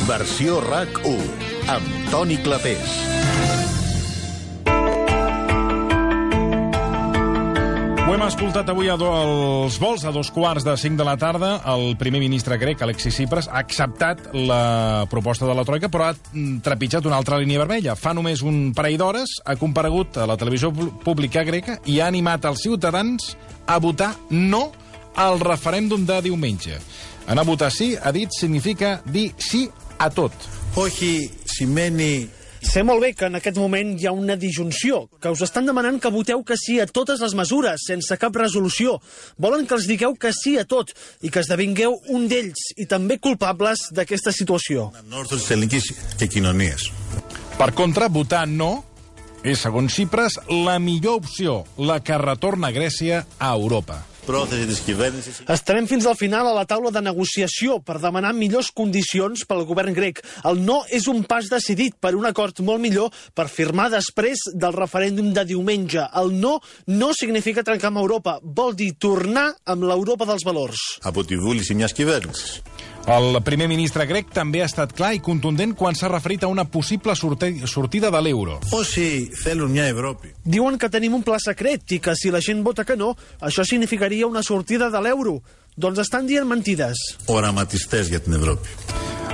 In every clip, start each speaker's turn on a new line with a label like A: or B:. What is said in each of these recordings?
A: Versió RAC1, amb Toni Clapés.
B: Ho hem escoltat avui als vols, a 2:45 de la tarda. El primer ministre grec, Alexis Tsipras, ha acceptat la proposta de la Troika, però ha trepitjat una altra línia vermella. Fa només un parell d'hores ha comparegut a la televisió pública greca i ha animat els ciutadans a votar no al referèndum de diumenge. Anar a votar sí, ha dit, significa dir sí a tot.
C: Όχι σημαίνει...
D: Sé molt bé que en aquest moment hi ha una disjunció, que us estan demanant que voteu que sí a totes les mesures, sense cap resolució. Volen que els digueu que sí a tot i que esdevingueu un d'ells i també culpables d'aquesta situació.
B: Per contra, votar no és, segons Tsipras, la millor opció, la que retorna Grècia a Europa.
D: Estarem fins al final a la taula de negociació per demanar millors condicions pel govern grec. El no és un pas decidit per un acord molt millor per firmar després del referèndum de diumenge. El no no significa trencar amb Europa, vol dir tornar amb l'Europa dels valors.
B: El primer ministre grec també ha estat clar i contundent quan s'ha referit a una possible sortida de l'euro.
D: Diuen que tenim un pla secret i que si la gent vota que no, això significaria una sortida de l'euro. Doncs estan dient mentides.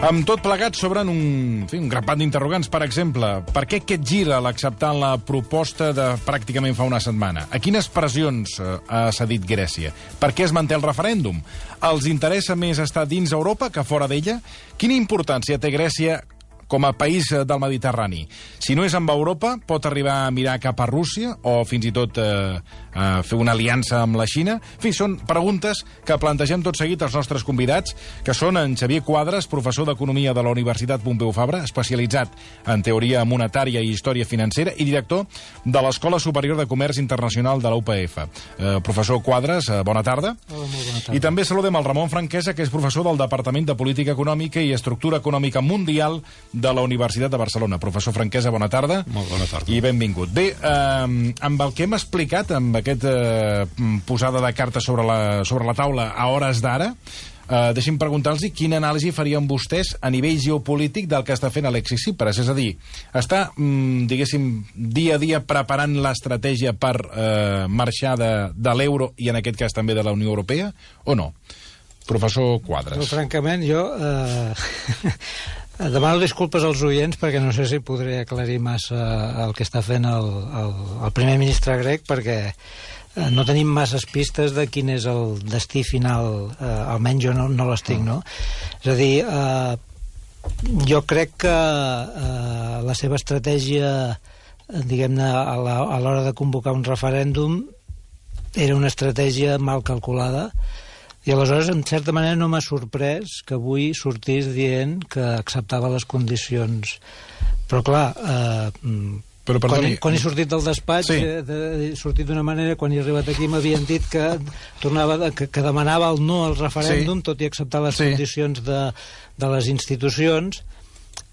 B: Amb tot plegat s'obren un grapat d'interrogants. Per exemple, per què aquest gir a l'acceptar la proposta de pràcticament fa una setmana? A quines pressions ha cedit Grècia? Per què es manté el referèndum? Els interessa més estar dins Europa que fora d'ella? Quina importància té Grècia com a país del Mediterrani? Si no és amb Europa, pot arribar a mirar cap a Rússia o fins i tot a fer una aliança amb la Xina? En fi, són preguntes que plantegem tot seguit als nostres convidats, que són en Xavier Quadras, professor d'Economia de la Universitat Pompeu Fabra, especialitzat en teoria monetària i història financera i director de l'Escola Superior de Comerç Internacional de la UPF. Professor Quadras, bona tarda.
E: Hola, molt bona tarda.
B: I també saludem el Ramon Franquesa, que és professor del Departament de Política Econòmica i Estructura Econòmica Mundial de la Universitat de Barcelona. Professor Franquesa, bona tarda.
E: Molt bona tarda.
B: I benvingut. Bé, amb el que hem explicat, amb aquesta posada de cartes sobre la taula a hores d'ara, deixi'm preguntar-los quina anàlisi farien vostès a nivell geopolític del que està fent Alexis Tsipras. És a dir, està, diguéssim, dia a dia preparant l'estratègia per marxar de l'euro i en aquest cas també de la Unió Europea, o no? Professor Quadras.
E: Però, francament, jo demano disculpes als oients perquè no sé si podré aclarir massa el que està fent el primer ministre grec, perquè no tenim masses pistes de quin és el destí final, almenys jo no les tinc, no? És a dir, jo crec que la seva estratègia, diguem-ne, a l'hora de convocar un referèndum era una estratègia mal calculada. I aleshores, en certa manera, no m'ha sorprès que avui sortís dient que acceptava les condicions. Però, clar, quan he sortit del despatx, he sortit d'una manera, quan he arribat aquí m'havien dit que demanava el no al referèndum, tot i acceptar les condicions de les institucions,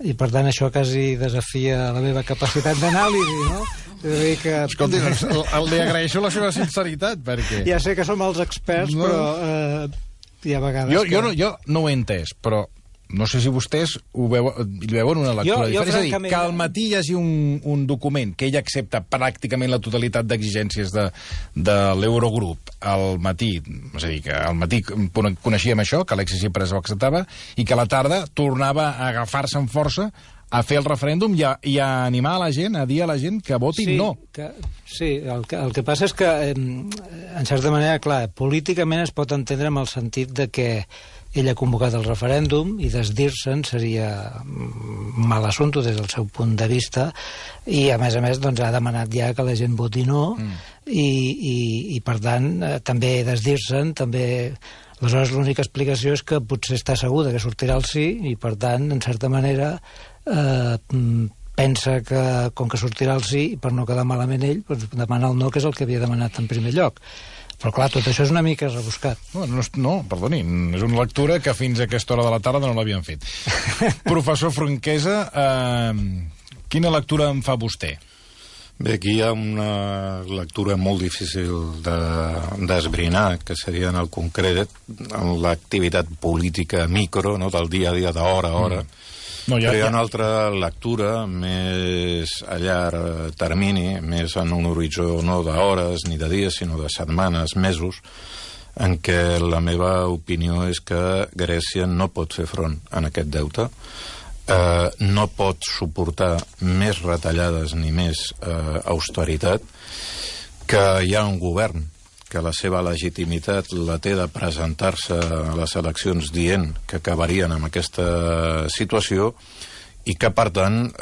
E: i per tant això quasi desafia la meva capacitat d'anàlisi, no?
B: Escolti, li agraeixo la seva sinceritat, perquè...
E: Ja sé que som els experts, però hi ha vegades
B: jo no ho he entès, però no sé si vostès hi veuen una lectura diferent. És a dir, que al matí hi hagi un document que ell accepta pràcticament la totalitat d'exigències de l'Eurogrup al matí, és a dir, que al matí coneixíem això, que Alexis Tsipras ho acceptava, i que a la tarda tornava a agafar-se amb força a fer el referèndum i a animar a la gent, a dir a la gent que votin no.
E: Sí, el que passa és que, en certa manera, clar, políticament es pot entendre amb el sentit de que ell ha convocat el referèndum i desdir-se'n seria mal assumpte des del seu punt de vista i, a més, doncs, ha demanat ja que la gent voti no i per tant, també desdir-se'n, també... Aleshores, l'única explicació és que potser està segur que sortirà el sí i, per tant, en certa manera, pensa que, com que sortirà el sí, i per no quedar malament ell, doncs demana el no, que és el que havia demanat en primer lloc. Però, clar, tot això és una mica rebuscat.
B: No, perdoni, és una lectura que fins a aquesta hora de la tarda no l'havien fet. Professor Franquesa, quina lectura en fa vostè?
F: Bé, aquí hi ha una lectura molt difícil d'esbrinar, que seria en el concret en l'activitat política micro, no, del dia a dia, d'hora a hora, Però hi ha una altra lectura més a llarg termini, més en un horitzó no d'hores ni de dies, sinó de setmanes, mesos, en què la meva opinió és que Grècia no pot fer front a aquest deute, no pot suportar més retallades ni més austeritat, que hi ha un govern que la seva legitimitat la té de presentar-se a les eleccions dient que acabarien amb aquesta situació i que, per tant,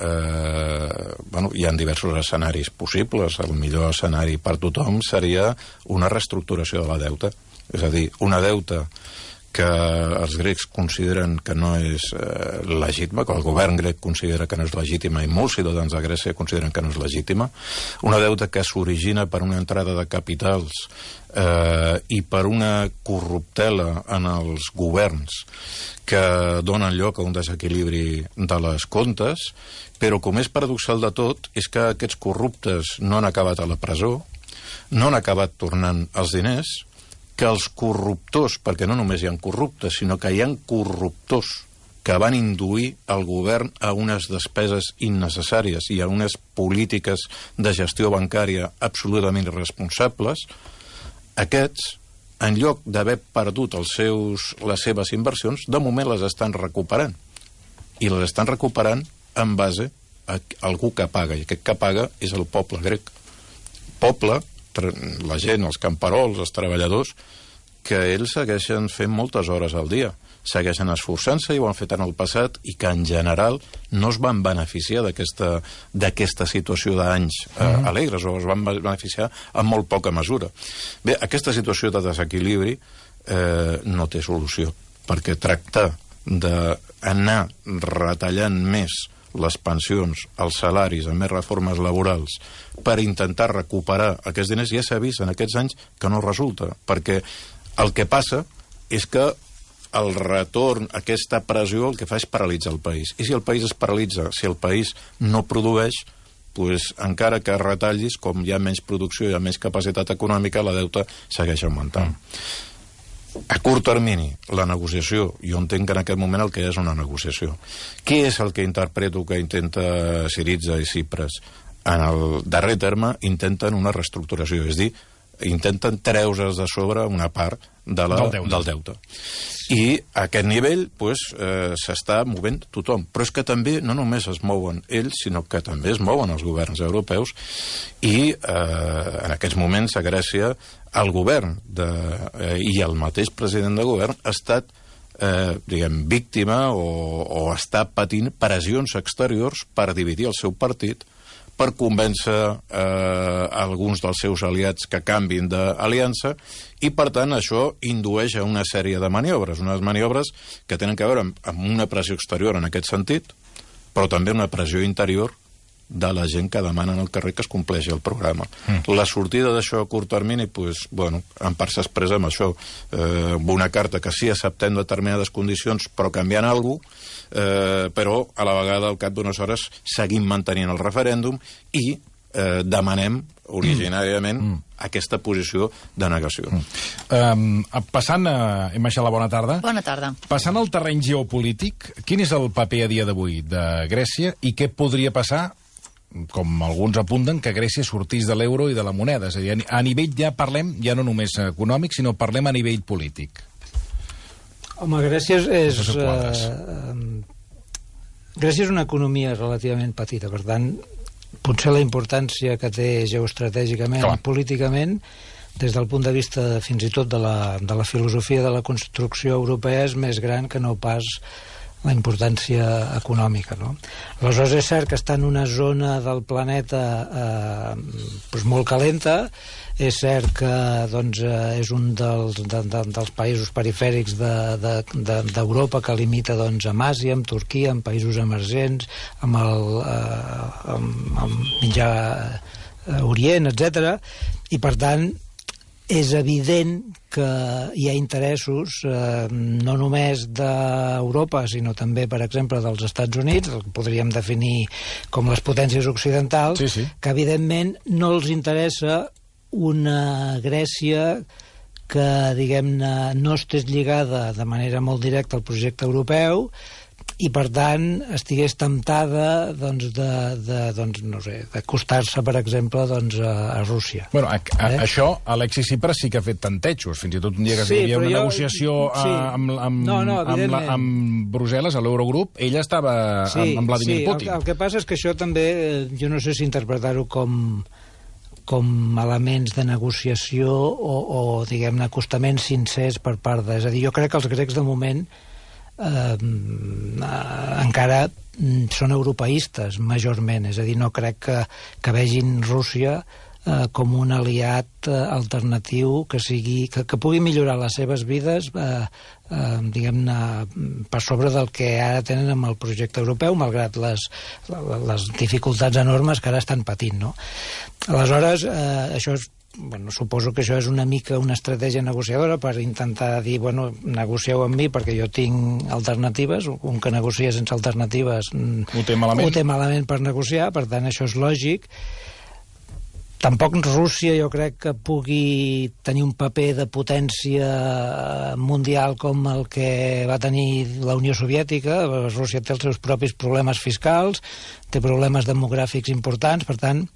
F: hi ha diversos escenaris possibles. El millor escenari per tothom seria una reestructuració de la deuta. És a dir, una deuta que els grecs consideren que no és legítima, que el govern grec considera que no és legítima i molts ciutadans de Grècia consideren que no és legítima, una deuta que s'origina per una entrada de capitals i per una corruptela en els governs que donen lloc a un desequilibri de les comptes, però com és paradoxal de tot és que aquests corruptes no han acabat a la presó, no han acabat tornant els diners, que els corruptors, perquè no només hi ha corruptes, sinó que hi ha corruptors que van induir el govern a unes despeses innecessàries i a unes polítiques de gestió bancària absolutament irresponsables, aquests, en lloc d'haver perdut les seves inversions, de moment les estan recuperant. I les estan recuperant en base a algú que paga, i aquest que paga és el poble grec. Poble, la gent, els camperols, els treballadors, que ells segueixen fent moltes hores al dia, segueixen esforçant-se i ho han fet en el passat i que en general no es van beneficiar d'aquesta situació d'anys alegres, o es van beneficiar en molt poca mesura. Bé, aquesta situació de desequilibri no té solució, perquè tractar d'anar retallant més les pensions, els salaris, amb més reformes laborals, per intentar recuperar aquests diners, ja s'ha vist en aquests anys que no resulta, perquè el que passa és que el retorn, aquesta pressió, el que fa és paralitzar el país. I si el país es paralitza, si el país no produeix, doncs encara que retallis, com hi ha menys producció, hi ha menys capacitat econòmica, la deuta segueix augmentant. A curt termini, la negociació, jo entenc que en aquest moment el que és una negociació. Què és el que interpreto que intenta Syriza i Tsipras? En el darrer terme intenten una reestructuració, és dir, intenten treure's de sobre una part del deute. I a aquest nivell s'està movent tothom. Però és que també no només es mouen ells, sinó que també es mouen els governs europeus i en aquests moments a Grècia el govern i el mateix president de govern ha estat víctima o està patint pressions exteriors per dividir el seu partit, per convèncer alguns dels seus aliats que canvin d'aliança, i per tant això indueix a una sèrie de maniobres, unes maniobres que tenen a veure amb una pressió exterior en aquest sentit, però també una pressió interior de la gent que demana al carrer que es compleixi el programa. La sortida d'això a curt termini, en part s'expressa amb això, amb una carta que sí acceptem determinades condicions però canviant alguna cosa, però a la vegada al cap d'unes hores seguim mantenint el referèndum i demanem originàriament aquesta posició de negació.
B: Passant, Imaixa, la bona tarda.
G: Bona tarda.
B: Passant al terreny geopolític, quin és el paper a dia d'avui de Grècia i què podria passar, com alguns apunten, que Grècia sortís de l'euro i de la moneda? És a dir, a nivell ja parlem, ja no només econòmic, sinó parlem a nivell polític.
E: Home, Grècia és una economia relativament petita, per tant, potser la importància que té geoestratègicament i políticament, des del punt de vista fins i tot de la filosofia de la construcció europea, és més gran que no pas la importància econòmica, no? Aleshores és cert que està en una zona del planeta molt calenta, és cert que és un dels països perifèrics d'Europa que limita amb Àsia, amb Turquia, amb països emergents, amb Mitjà Orient, etc. I per tant és evident que hi ha interessos no només d'Europa, sinó també, per exemple, dels Estats Units, el que podríem definir com les potències occidentals, que evidentment no els interessa una Grècia que, diguem-ne, no estés lligada de manera molt directa al projecte europeu i per tant estigués temptada d'acostar-se, per exemple, a Rússia.
B: Bueno, això Alexis Tsipras sí que ha fet tantejos, fins i tot un dia que hi havia una negociació amb Brussel·les, a l'Eurogrup, ella estava amb Vladimir Putin.
E: El que passa és que això també, jo no sé si interpretar-ho com elements de negociació o diguem-ne, acostaments sincers per part de... És a dir, jo crec que els grecs, de moment, encara són europeistes majorment, és a dir, no crec que vegin Rússia com un aliat alternatiu que pugui millorar les seves vides diguem-ne per sobre del que ara tenen amb el projecte europeu, malgrat les dificultats enormes que ara estan patint, no? Aleshores, això és suposo que això és una mica una estratègia negociadora per intentar dir, negocieu amb mi perquè jo tinc alternatives, un que negocia sense alternatives
B: ho té malament
E: per negociar, per tant això és lògic. Tampoc Rússia jo crec que pugui tenir un paper de potència mundial com el que va tenir la Unió Soviètica. Rússia té els seus propis problemes fiscals, té problemes demogràfics importants, per tant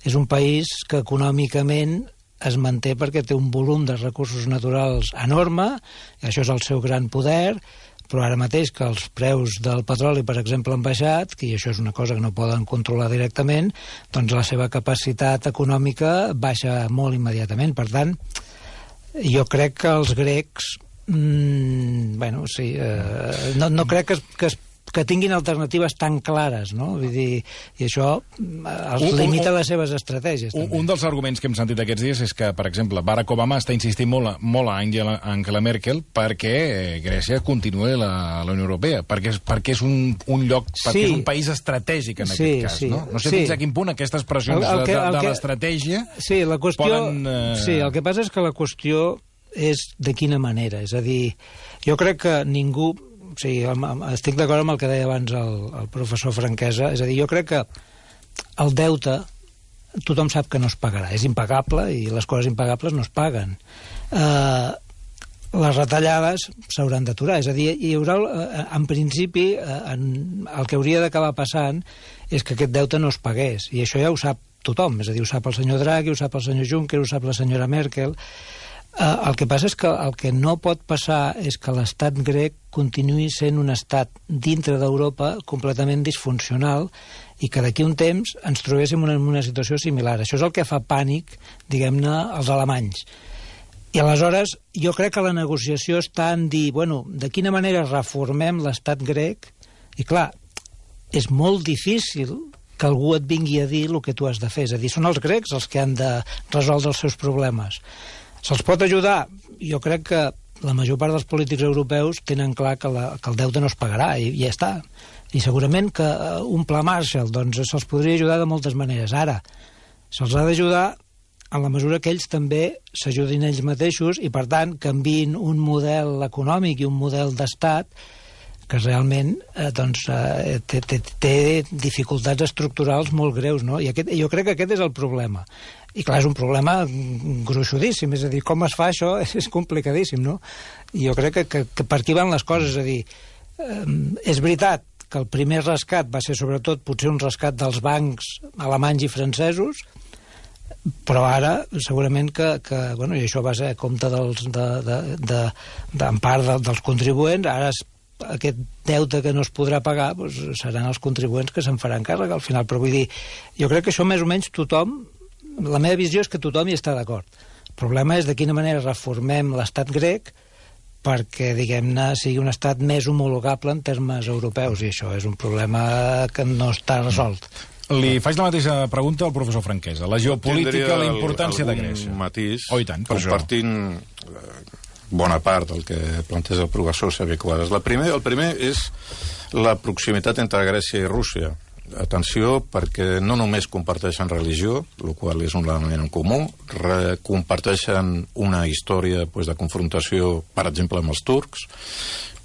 E: és un país que econòmicament es manté perquè té un volum de recursos naturals enorme, i això és el seu gran poder, però ara mateix que els preus del petroli, per exemple, han baixat, i això és una cosa que no poden controlar directament, doncs la seva capacitat econòmica baixa molt immediatament. Per tant, jo crec que els grecs no crec que tinguin alternatives tan clares, no? Vull dir, i això els limita les seves estratègies.
B: Un dels arguments que hem sentit aquests dies és que, per exemple, Barack Obama està insistint molt a Angela Merkel perquè Grècia continuï a la Unió Europea, perquè és un lloc, perquè és un país estratègic en aquest cas, no? No sé fins a quin punt aquestes pressions de l'estratègia poden...
E: Sí, el que passa és que la qüestió és de quina manera, és a dir, jo crec que ningú... Sí, estic d'acord amb el que deia abans el professor Franquesa, és a dir, jo crec que el deute tothom sap que no es pagarà, és impagable i les coses impagables no es paguen. Les retallades s'hauran d'aturar, és a dir, hi haurà, en principi, el que hauria d'acabar passant és que aquest deute no es pagués, i això ja ho sap tothom, és a dir, ho sap el senyor Draghi, ho sap el senyor Juncker, ho sap la senyora Merkel. El que passa és que el que no pot passar és que l'estat grec continuï sent un estat dintre d'Europa completament disfuncional i que d'aquí un temps ens trobéssim en una situació similar. Això és el que fa pànic, diguem-ne, als alemanys. I aleshores jo crec que la negociació està en dir, de quina manera reformem l'estat grec? I clar, és molt difícil que algú et vingui a dir el que tu has de fer. És a dir, són els grecs els que han de resoldre els seus problemes. Se'ls pot ajudar? Jo crec que la major part dels polítics europeus tenen clar que el deute no es pagarà i ja està. I segurament que un pla Marshall se'ls podria ajudar de moltes maneres. Ara, se'ls ha d'ajudar en la mesura que ells també s'ajudin ells mateixos i, per tant, canviïn un model econòmic i un model d'estat que realment té dificultats estructurals molt greus, no? I jo crec que aquest és el problema. I clar, és un problema gruixudíssim, és a dir, com es fa això és complicadíssim, no? I jo crec que per aquí van les coses, és a dir, és veritat que el primer rescat va ser sobretot potser un rescat dels bancs alemanys i francesos, però ara segurament que i això va ser a compte en part dels contribuents, ara aquest deute que no es podrà pagar seran els contribuents que se'n faran càrrec al final, però vull dir, jo crec que això més o menys tothom, la meva visió és que tothom hi està d'acord. El problema és de quina manera reformem l'estat grec perquè, diguem-ne, sigui un estat més homologable en termes europeus, i això és un problema que no està resolt.
B: Li faig la mateixa pregunta al professor Franquesa. La geopolítica, la importància de Grècia.
F: Matís,
B: oh, i tant,
F: compartint bona part del que planteja el professor Xavier Quadras. El primer és la proximitat entre Grècia i Rússia. Atenció, perquè no només comparteixen religió, el qual és un element en comú, comparteixen una història de confrontació, per exemple, amb els turcs,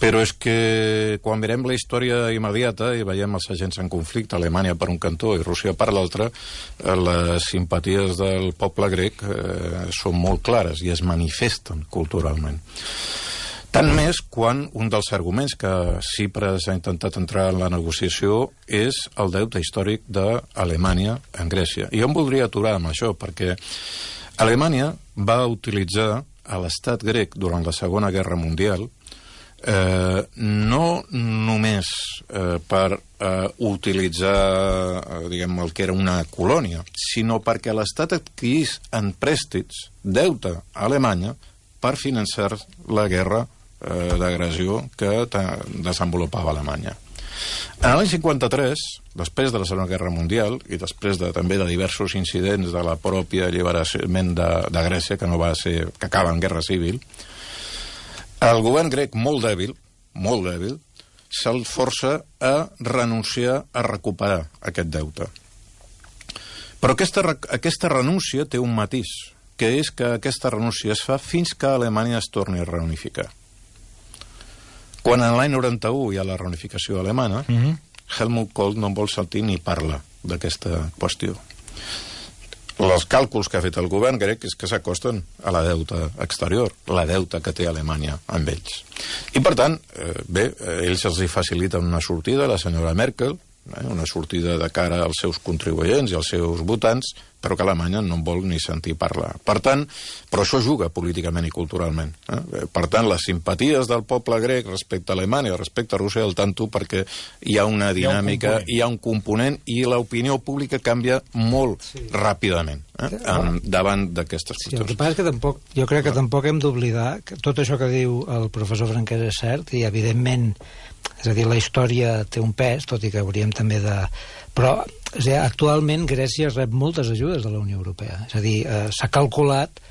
F: però és que quan mirem la història immediata i veiem els agents en conflicte, Alemanya per un cantó i Rússia per l'altre, les simpaties del poble grec són molt clares i es manifesten culturalment. Tant més quan un dels arguments que Tsipras ha intentat entrar en la negociació és el deute històric d'Alemanya en Grècia. I jo em voldria aturar amb això, perquè Alemanya va utilitzar a l'estat grec durant la Segona Guerra Mundial no només per utilitzar diguem, el que era una colònia, sinó perquè l'estat adquirís en préstits deute a Alemanya per finançar la guerra d'agressió que desenvolupava Alemanya. En l'any 53, després de la Segona Guerra Mundial i després també de diversos incidents de la pròpia alliberament de Grècia, que acaba en guerra civil, el govern grec, molt dèbil, se'l força a renunciar a recuperar aquest deute. Però aquesta renúncia té un matís, que és que aquesta renúncia es fa fins que Alemanya es torni a reunificar. Quan en l'any 91 hi ha la reunificació alemana, Helmut Kohl no en vol sentir ni parlar d'aquesta qüestió. Els càlculs que ha fet el govern grec és que s'acosten a la deuta exterior, la deuta que té Alemanya amb ells. I, per tant, ells els hi faciliten una sortida, la senyora Merkel, una sortida de cara als seus contribuents i als seus votants, però que Alemanya no en vol ni sentir parlar. Per tant, però això juga políticament i culturalment. Per tant, les simpaties del poble grec respecte a Alemanya, respecte a Rússia, el tanto perquè hi ha una dinàmica, hi ha un component i l'opinió pública canvia molt ràpidament davant d'aquestes qüestions.
E: Sí, el que passa és que jo crec que tampoc hem d'oblidar que tot això que diu el professor Franquès és cert i, evidentment, és a dir, la història té un pes, tot i que hauríem també de... Però, actualment, Grècia rep moltes ajudes de la Unió Europea. És a dir, s'ha calculat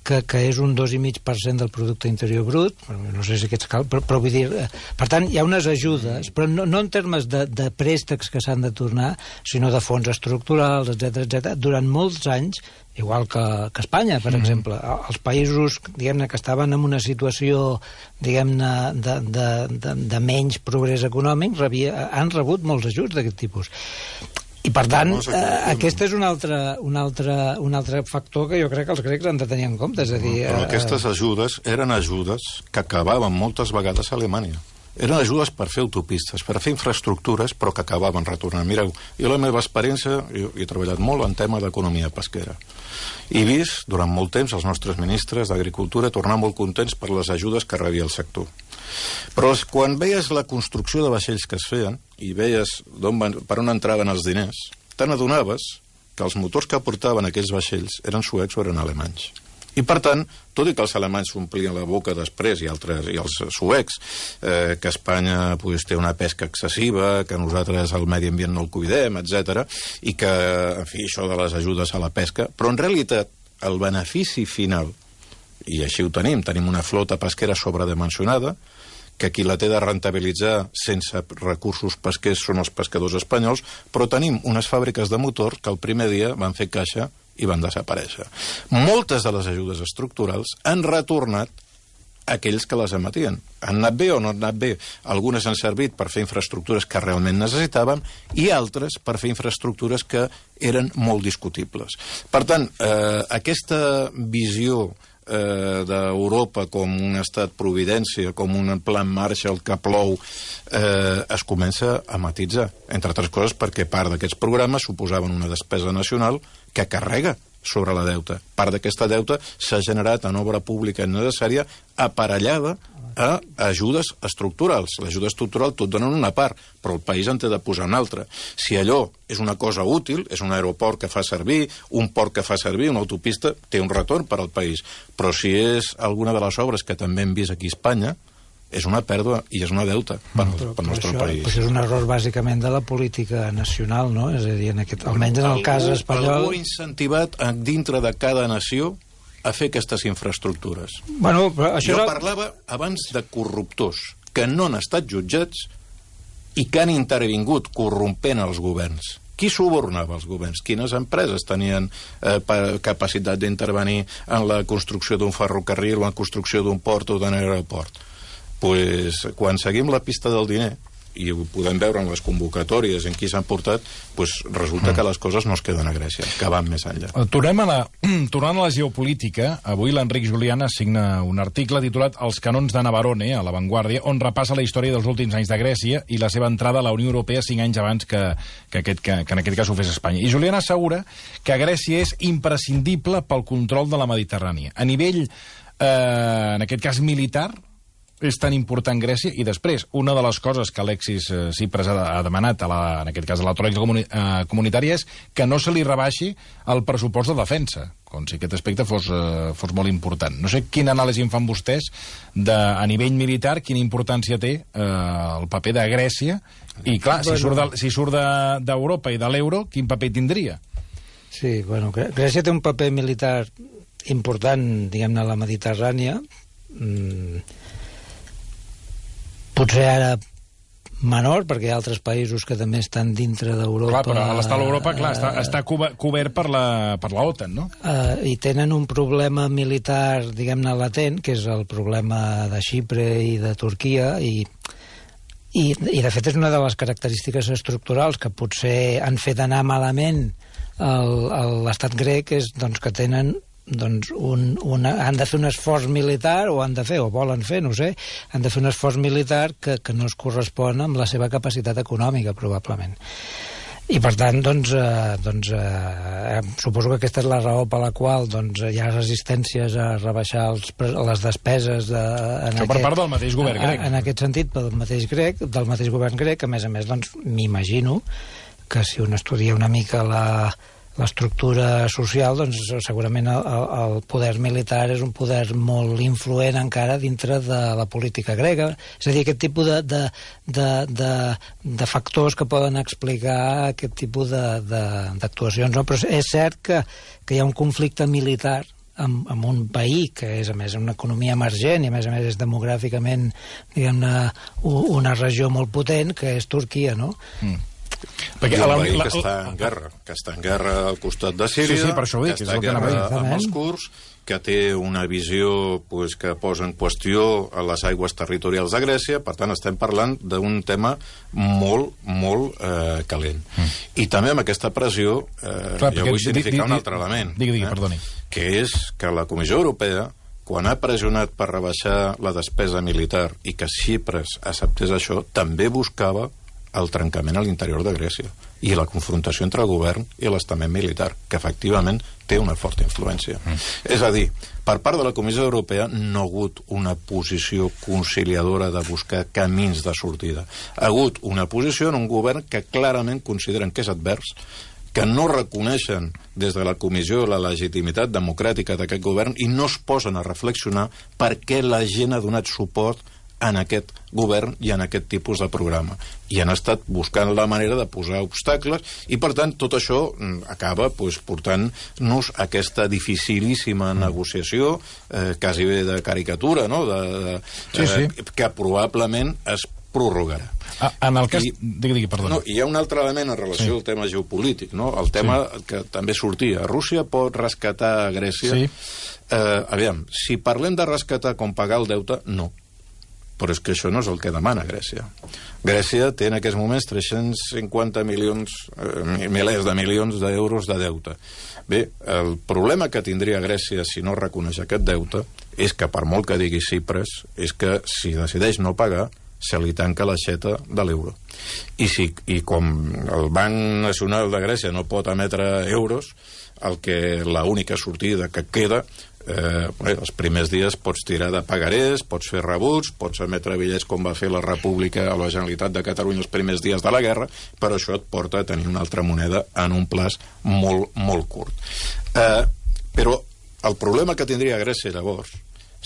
E: que és un 2,5% del producte interior brut, no sé si aquests però vull dir... Per tant, hi ha unes ajudes, però no en termes de préstecs que s'han de tornar, sinó de fons estructurals, etc. Durant molts anys, igual que Espanya, per exemple. Els països, diguem-ne, que estaven en una situació, diguem-ne, de menys progrés econòmic, han rebut molts ajuts d'aquest tipus. I, per tant, aquest és un altre factor que jo crec que els grecs han de tenir en compte. És a dir,
F: però aquestes ajudes eren ajudes que acabaven moltes vegades a Alemanya. Eren ajudes per fer autopistes, per fer infraestructures, però que acabaven retornant. Mireu, jo la meva experiència, jo he treballat molt en tema d'economia pesquera. He vist, durant molt temps, els nostres ministres d'Agricultura tornar molt contents per les ajudes que rebia el sector. Però quan veies la construcció de vaixells que es feien i veies per on entraven els diners, te n'adonaves que els motors que aportaven aquells vaixells eren suecs o eren alemanys. I, per tant, tot i que els alemanys s'omplien la boca després, i els suecs, que Espanya té una pesca excessiva, que nosaltres el medi ambient no el cuidem, etc., i que, en fi, això de les ajudes a la pesca, però en realitat el benefici final, i així ho tenim una flota pesquera sobredimensionada, que qui la té de rentabilitzar sense recursos pesquers són els pescadors espanyols, però tenim unes fàbriques de motor que el primer dia van fer caixa i van desaparèixer. Moltes de les ajudes estructurals han retornat a aquells que les emetien. Han anat bé o no han anat bé? Algunes han servit per fer infraestructures que realment necessitàvem i altres per fer infraestructures que eren molt discutibles. Per tant, aquesta visió d'Europa com un estat providència, com un plan Marshall que plou, es comença a matitzar, entre altres coses perquè part d'aquests programes suposaven una despesa nacional que carrega sobre la deuta. Part d'aquesta deuta s'ha generat en obra pública innecessària aparellada a ajudes estructurals. L'ajuda estructural tot donen una part, però el país en té de posar una altra. Si allò és una cosa útil, és un aeroport que fa servir, un port que fa servir, una autopista, té un retorn per al país. Però si és alguna de les obres que també hem vist aquí a Espanya, és una pèrdua i és una deuta pel nostre país.
E: Però és un error bàsicament de la política nacional, no? És a dir, almenys en el cas espanyol...
F: Algú incentivat dintre de cada nació a fer aquestes infraestructures.
E: Bueno, però això
F: jo parlava abans de corruptors que no han estat jutjats i que han intervingut corrompent els governs. Qui subornava els governs? Quines empreses tenien capacitat d'intervenir en la construcció d'un ferrocarril o en la construcció d'un port o d'un aeroport? Pues, quan seguim la pista del diner i ho podem veure en les convocatòries en qui s'han portat, doncs resulta que les coses no es queden a Grècia, que van més enllà.
B: Tornant a la geopolítica, avui l'Enric Juliana signa un article titulat Els canons de Navarone, a La Vanguardia, on repassa la història dels últims anys de Grècia i la seva entrada a la Unió Europea 5 anys abans que en aquest cas ho fes Espanya. I Juliana assegura que Grècia és imprescindible pel control de la Mediterrània. A nivell, en aquest cas militar, és tan important Grècia, i després, una de les coses que Alexis Tsipras ha demanat, en aquest cas a la tròica comunitària, és que no se li rebaixi el pressupost de defensa, com si aquest aspecte fos molt important. No sé quina anàlisi en fan vostès a nivell militar, quina importància té el paper de Grècia, i clar, si surt d'Europa i de l'euro, quin paper tindria?
E: Sí, bueno, Grècia té un paper militar important, diguem-ne, a la Mediterrània, potser ara menor, perquè hi ha altres països que també estan dintre d'Europa.
B: Clar, però a l'estat d'Europa, està cobert per la OTAN, no?
E: I tenen un problema militar, diguem-ne, latent, que és el problema de Xipre i de Turquia, i de fet és una de les característiques estructurals que potser han fet anar malament l'estat grec, és doncs, que tenen han de fer un esforç militar, o volen fer, no ho sé, han de fer un esforç militar que no es correspon amb la seva capacitat econòmica, probablement. I per tant, suposo que aquesta és la raó per la qual hi ha resistències a rebaixar les despeses
B: això per part del mateix govern grec.
E: En aquest sentit, del mateix govern grec, que a més m'imagino que si un estudia una mica l'estructura social, doncs segurament el poder militar és un poder molt influent encara dintre de la política grega. És a dir, aquest tipus de factors que poden explicar aquest tipus d'actuacions. No? Però és cert que hi ha un conflicte militar amb un país que és, a més, una economia emergent i, a més, és demogràficament, diguem-ne, una regió molt potent, que és Turquia, no?
F: Perquè un país que està en guerra al costat de Síria,
B: per això ho dic,
F: que està en guerra amb els kurds, que té una visió que posa en qüestió les aigües territorials de Grècia. Per tant, estem parlant d'un tema molt, molt calent. I també amb aquesta pressió jo vull significar un altre element,
B: perdoni,
F: que és que la Comissió Europea, quan ha pressionat per rebaixar la despesa militar i que Xipres acceptés això, també buscava el trencament a l'interior de Grècia i la confrontació entre el govern i l'estament militar, que efectivament té una forta influència. És a dir, per part de la Comissió Europea no ha hagut una posició conciliadora de buscar camins de sortida. Ha hagut una posició en un govern que clarament consideren que és advers, que no reconeixen des de la Comissió la legitimitat democràtica d'aquest govern i no es posen a reflexionar per què la gent ha donat suport en aquest govern i en aquest tipus de programa. I han estat buscant la manera de posar obstacles i, per tant, tot això acaba portant-nos a aquesta dificilíssima negociació, quasi bé de caricatura, no? Que probablement es prorrogarà.
B: En el cas... Digui, perdona.
F: No, hi ha un altre element en relació al tema geopolític, no? El tema que també sortia. Rússia pot rescatar Grècia? Aviam, si parlem de rescatar com pagar el deute, no. Però és que això no és el que demana Grècia. Grècia té en aquests moments 350 milers de milions d'euros de deute. Bé, el problema que tindria Grècia si no reconeix aquest deute és que, per molt que digui Tsipras, és que si decideix no pagar, se li tanca l'aixeta de l'euro. I com el Banc Nacional de Grècia no pot emetre euros, l'única sortida que queda els primers dies pots tirar de pagarés, pots fer rebuts, pots emetre bitllets com va fer la República o la Generalitat de Catalunya els primers dies de la guerra, però això et porta a tenir una altra moneda en un plaç molt, molt curt. Però el problema que tindria Grècia llavors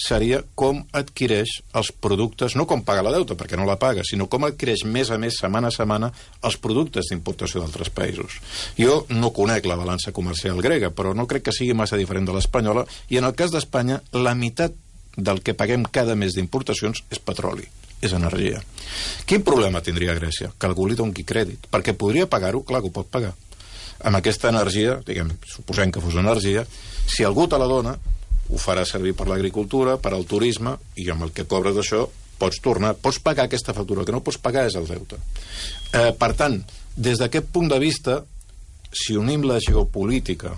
F: seria com adquireix els productes, no com paga la deuta, perquè no la paga, sinó com adquireix mes a mes, setmana a setmana, els productes d'importació d'altres països. Jo no conec la balança comercial grega, però no crec que sigui massa diferent de l'espanyola, i en el cas d'Espanya, la meitat del que paguem cada mes d'importacions és petroli, és energia. Quin problema tindria Grècia? Que algú li doni crèdit, perquè podria pagar-ho, clar que ho pot pagar. Amb aquesta energia, suposem que fos energia, si algú te la dona, ho farà servir per l'agricultura, per al turisme, i amb el que cobres d'això pots tornar, pots pagar aquesta factura, el que no pots pagar és el deute. Per tant, des d'aquest punt de vista, si unim la geopolítica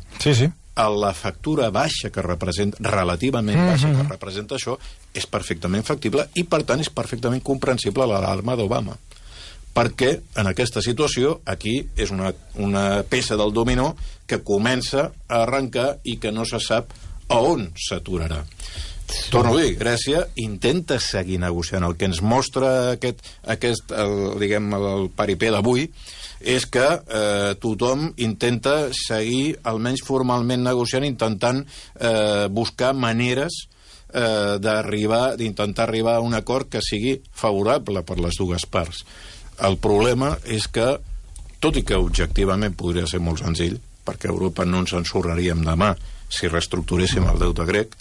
F: a la factura baixa que representa, relativament baixa que representa això, és perfectament factible i, per tant, és perfectament comprensible l'alarma d'Obama. Perquè, en aquesta situació, aquí és una peça del dominó que comença a arrencar i que no se sap a on s'aturarà. Torno a dir, Grècia intenta seguir negociant. El que ens mostra el paripé d'avui és que tothom intenta seguir, almenys formalment negociant, intentant buscar maneres d'intentar arribar a un acord que sigui favorable per les dues parts. El problema és que, tot i que objectivament podria ser molt senzill, perquè a Europa no ens ensorraríem demà si reestructuréssim el deute grec,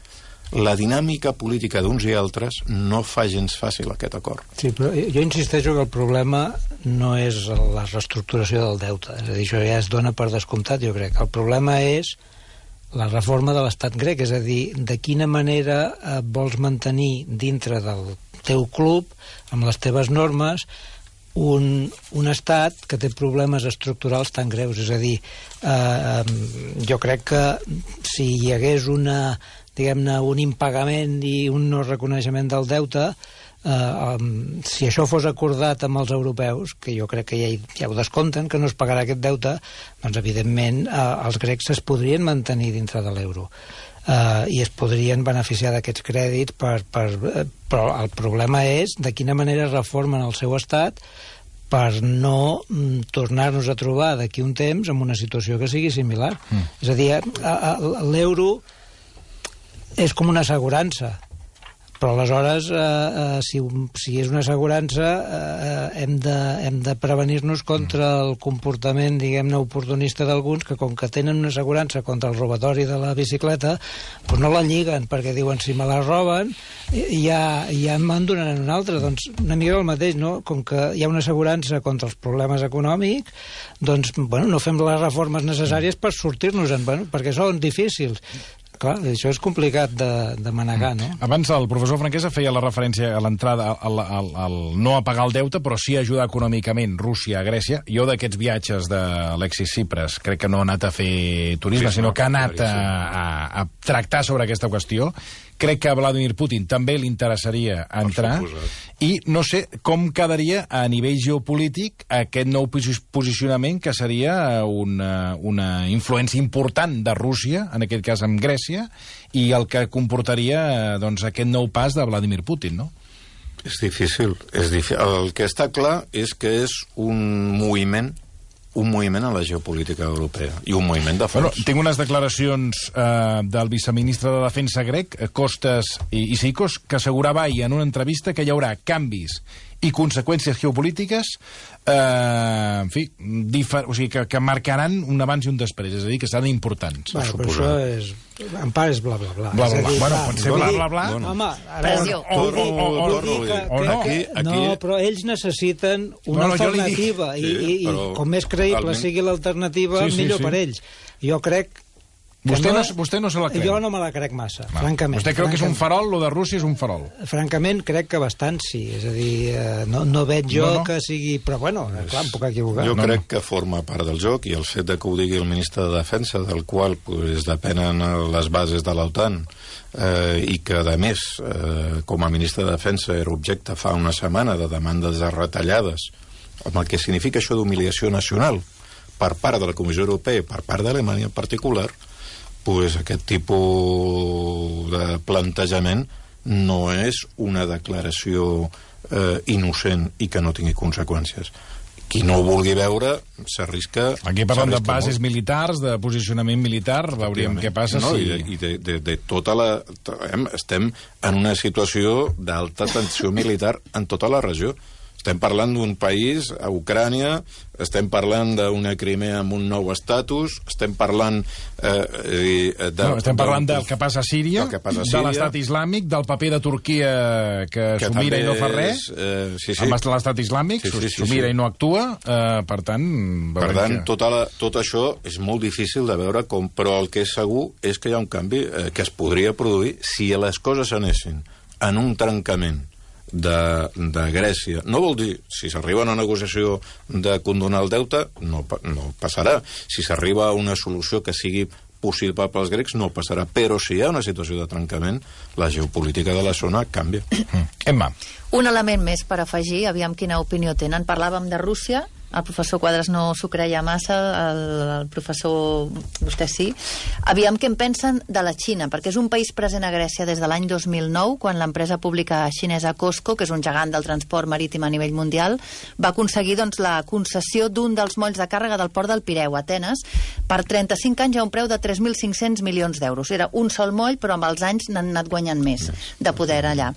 F: la dinàmica política d'uns i altres no fa gens fàcil aquest acord.
E: Sí, però jo insisteixo que el problema no és la reestructuració del deute. És a dir, això ja es dona per descomptat, jo crec. El problema és la reforma de l'estat grec, és a dir, de quina manera vols mantenir dintre del teu club, amb les teves normes, un estat que té problemes estructurals tan greus. És a dir, jo crec que si hi hagués diguem-ne, un impagament i un no reconeixement del deute, si això fos acordat amb els europeus, que jo crec que ja ho descompten, que no es pagarà aquest deute, doncs evidentment els grecs es podrien mantenir dintre de l'euro i es podrien beneficiar d'aquests crèdits, però el problema és de quina manera reformen el seu estat per no tornar-nos a trobar d'aquí un temps en una situació que sigui similar. És a dir, l'euro és com una assegurança, però aleshores si és una assegurança hem de prevenir-nos contra el comportament, diguem-ne, oportunista d'alguns que, com que tenen una assegurança contra el robatori de la bicicleta, doncs no la lliguen, perquè diuen, si me la roben ja me'n donaran una altra. Doncs una mica el mateix, no? Com que hi ha una assegurança contra els problemes econòmics, doncs no fem les reformes necessàries per sortir-nos-en, perquè són difícils. Clar, això és complicat de manegar, no?
B: Abans el professor Franquesa feia la referència a l'entrada al no a pagar el deute, però sí a ajudar econòmicament Rússia a Grècia. Jo d'aquests viatges d'Alexis Tsipras crec que no ha anat a fer turisme, sinó que ha anat a tractar sobre aquesta qüestió. Crec que a Vladimir Putin també li interessaria entrar, i no sé com quedaria a nivell geopolític aquest nou posicionament que seria una influència important de Rússia, en aquest cas amb Grècia, i el que comportaria aquest nou pas de Vladimir Putin, no?
F: És difícil. El que està clar és que és un moviment a la geopolítica europea i un moviment de fons.
B: Tinc unes declaracions del viceministre de Defensa grec, Kostas Issikos, que assegurava ahir en una entrevista que hi haurà canvis i conseqüències geopolítiques que marcaran un abans i un després, és a dir, que seran importants.
E: Però això és... En part és bla, bla, bla.
B: Bla, bla, bla. Bueno, pot ser bla, bla, bla.
E: Home,
F: no,
E: però ells necessiten una alternativa i com més creïble sigui l'alternativa, millor per ells. Jo crec...
B: Vostè no se la creu?
E: Jo no me la crec massa, francament.
B: Vostè creu que és un farol? Lo de Rússia és un farol? Francament,
E: crec que bastant sí. És a dir, no veig jo que sigui... Però, bueno, clar, em puc equivocar.
F: Jo crec que forma part del joc, i el fet de que ho digui el ministre de Defensa, del qual depenen les bases de l'OTAN, i que, a més, com a ministre de Defensa era objecte fa una setmana de demandes de retallades, amb el que significa això d'humiliació nacional per part de la Comissió Europea i per part d'Alemanya en particular, aquest tipus de plantejament no és una declaració innocent i que no tingui conseqüències. Qui no ho vulgui veure s'arrisca...
B: Aquí parlem de bases militars, de posicionament militar, veuríem què passa.
F: I de tota la... Estem en una situació d'alta tensió militar en tota la regió. Estem parlant d'un país, a Ucrània, estem parlant d'una Crimea amb un nou estatus, estem parlant...
B: estem parlant del que passa a Síria, de l'estat islàmic, del paper de Turquia que s'ho mira i no fa res, amb l'estat islàmic, s'ho mira i no actua, per tant...
F: Per tant, tot això és molt difícil de veure com, però el que és segur és que hi ha un canvi que es podria produir si les coses anessin en un trencament de Grècia. No vol dir, si s'arriba a una negociació de condonar el deute, no passarà. Si s'arriba a una solució que sigui possible pels grecs, no passarà. Però si hi ha una situació de trencament, la geopolítica de la zona canvia.
B: Emma.
G: Un element més per afegir, aviam quina opinió tenen. Parlàvem de Rússia, el professor Quadras no s'ho creia massa, el professor, vostè sí. Aviam què en pensen de la Xina, perquè és un país present a Grècia des de l'any 2009, quan l'empresa pública xinesa COSCO, que és un gegant del transport marítim a nivell mundial, va aconseguir la concessió d'un dels molls de càrrega del port del Pireu, Atenes, per 35 anys a un preu de 3.500 milions d'euros. Era un sol moll, però amb els anys n'han anat guanyant més de poder allà.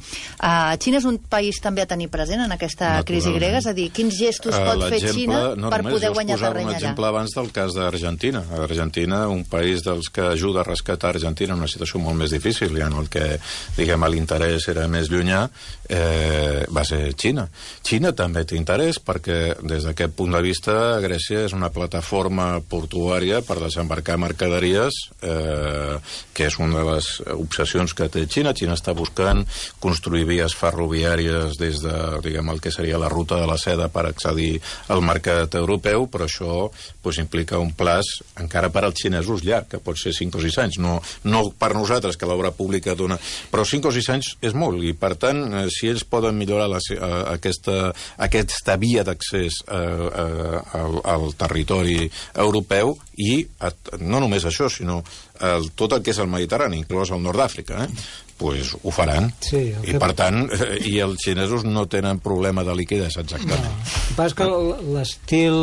G: Xina és un país també a tenir present en aquesta crisi grega, és a dir, quins gestos pot fer Xina per poder guanyar terreny allà.
F: Un exemple abans del cas d'Argentina. Argentina, un país dels que ajuda a rescatar Argentina en una situació molt més difícil i en el que, diguem, l'interès era més llunyà, va ser Xina. Xina també té interès perquè, des d'aquest punt de vista, Grècia és una plataforma portuària per desembarcar mercaderies, que és una de les obsessions que té Xina. Xina està buscant construir vies ferroviàries des de, diguem, el que seria la ruta de la seda per accedir al mercat europeu, però això implica un plaç encara per als xinesos llarg, que pot ser 5 o 6 anys, no per nosaltres, que l'obra pública dona... Però 5 o 6 anys és molt, i per tant, si ells poden millorar aquesta via d'accés al territori europeu, i no només això, sinó tot el que és el Mediterrani, inclòs el nord d'Àfrica, pues ho faran.
E: Sí,
F: I per tant, i els xinesos no tenen problema de liquiditat exactament.
E: No. El que passa és que l'estil,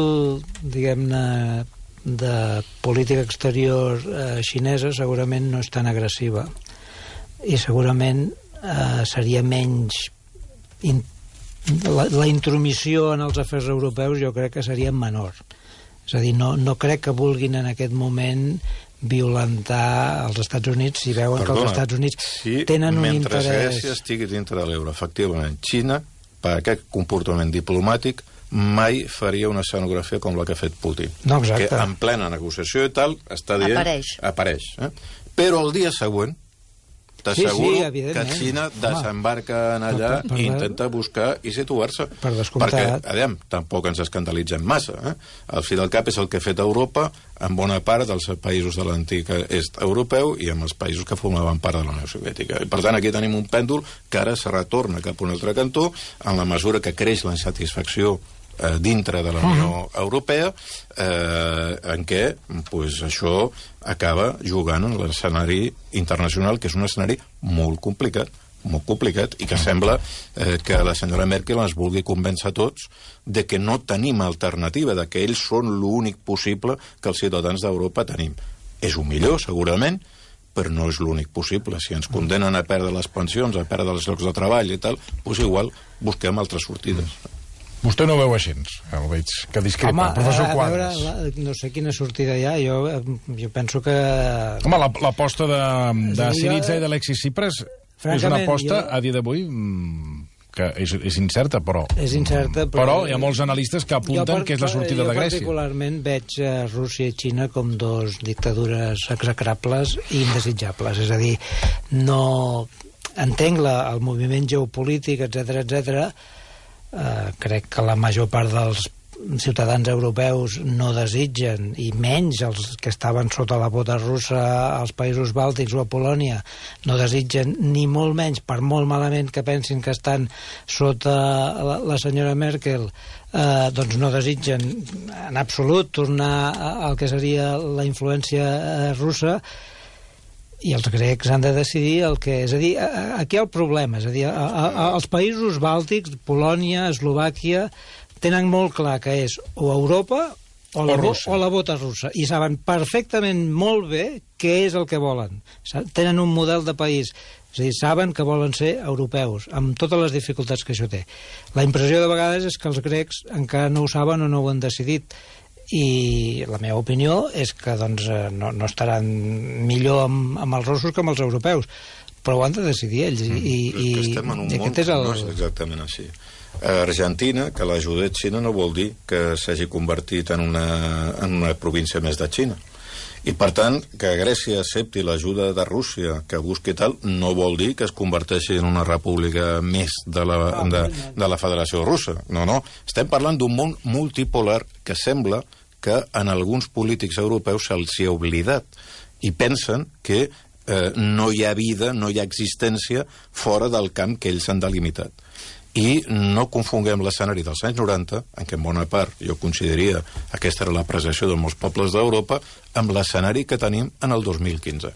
E: diguem-ne, de política exterior xinesa segurament no és tan agressiva i segurament seria menys la intromissió en els afers europeus jo crec que seria menor. És a dir, no crec que vulguin en aquest moment violentar els Estats Units si veuen que els Estats Units tenen un interès...
F: Mentre Grècia estigui dintre de l'euro, efectivament, Xina, per aquest comportament diplomàtic, mai faria una escenografia com la que ha fet Putin.
E: No, exacte.
F: Que en plena negociació i tal, està dient... Apareix. Però el dia següent, t'asseguro que Xina desembarca en allà i intenta buscar i situar-se.
E: Per descomptat.
F: Perquè, tampoc ens escandalitzem massa. Al fi del cap és el que ha fet Europa en bona part dels països de l'antic est europeu i amb els països que formaven part de la Unió Soviètica. I, per tant, aquí tenim un pèndol que ara se retorna cap a un altre cantó en la mesura que creix la insatisfacció dintre de la Unió Europea, en què això acaba jugant en l'escenari internacional, que és un escenari molt complicat, i que sembla que la senyora Merkel ens vulgui convèncer a tots de que no tenim alternativa, de que ells són l'únic possible que els ciutadans d'Europa tenim. És un millor, segurament, però no és l'únic possible. Si ens condenen a perdre les pensions, a perdre els llocs de treball i tal, doncs igual busquem altres sortides.
B: Vostè no ho veu així, el veig que discrepa. Professor Quadras.
E: No sé quina sortida hi ha, jo penso que...
B: Home, l'aposta de Syriza i d'Alexis Tsipras és una aposta, a dia d'avui, que és incerta, però...
E: És incerta,
B: però hi ha molts analistes que apunten que és la sortida de Grècia.
E: Jo particularment veig Rússia i Xina com dos dictadures execrables i indesitjables. És a dir, no entenc el moviment geopolític, etc. Crec que la major part dels ciutadans europeus no desitgen, i menys els que estaven sota la bota russa als països bàltics o a Polònia, no desitgen ni molt menys, per molt malament que pensin que estan sota la senyora Merkel, doncs no desitgen en absolut tornar al que seria la influència russa. I els grecs han de decidir el que... És a dir, aquí hi ha el problema. És a dir, els països bàltics, Polònia, Eslovàquia, tenen molt clar que és o Europa o la bota russa. I saben perfectament molt bé què és el que volen. Tenen un model de país. És a dir, saben que volen ser europeus, amb totes les dificultats que això té. La impressió de vegades és que els grecs encara no ho saben o no ho han decidit. I la meva opinió és que doncs, no estaran millor amb els russos que amb els europeus, però ho han de decidir ells.
F: I estem en un món que no és exactament així. Argentina, que l'ajuda Xina, no vol dir que s'hagi convertit en una província més de Xina. I, per tant, que Grècia accepti l'ajuda de Rússia, que busqui tal, no vol dir que es converteixi en una república més de la Federació Russa. No, no. Estem parlant d'un món multipolar que sembla que en alguns polítics europeus se'ls hi ha oblidat i pensen que no hi ha vida, no hi ha existència fora del camp que ells han delimitat. I no confonguem l'escenari dels anys 90, en què en bona part jo consideraria aquesta era la apreciació de molts pobles d'Europa, amb l'escenari que tenim en el 2015.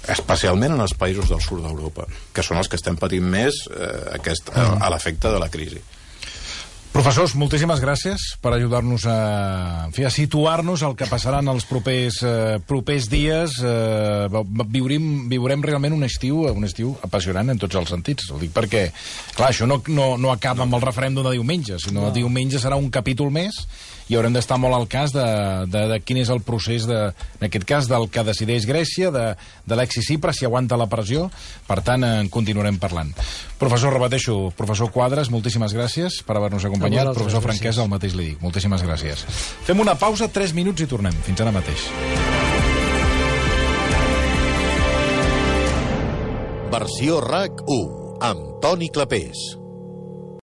F: Especialment en els països del sud d'Europa, que són els que estem patint més a l'efecte de la crisi.
B: Professors, moltíssimes gràcies per ajudar-nos a situar-nos el que passarà en els propers dies. Viurem realment un estiu apassionant en tots els sentits. Ho dic perquè, clar, això no acaba amb el referèndum de diumenge, sinó diumenge serà un capítol més i haurem d'estar molt al cas de quin és el procés, en aquest cas, del que decideix Grècia, de l'Alexis Tsipras, si aguanta la pressió. Per tant, en continuarem parlant. Professor, repeteixo, professor Quadras, moltíssimes gràcies per haver-nos acompanyat. Professor Franquesa, el mateix li dic. Moltíssimes gràcies. Fem una pausa, 3 minuts i tornem. Fins ara mateix.
A: Versió RAC 1, amb Toni Clapés.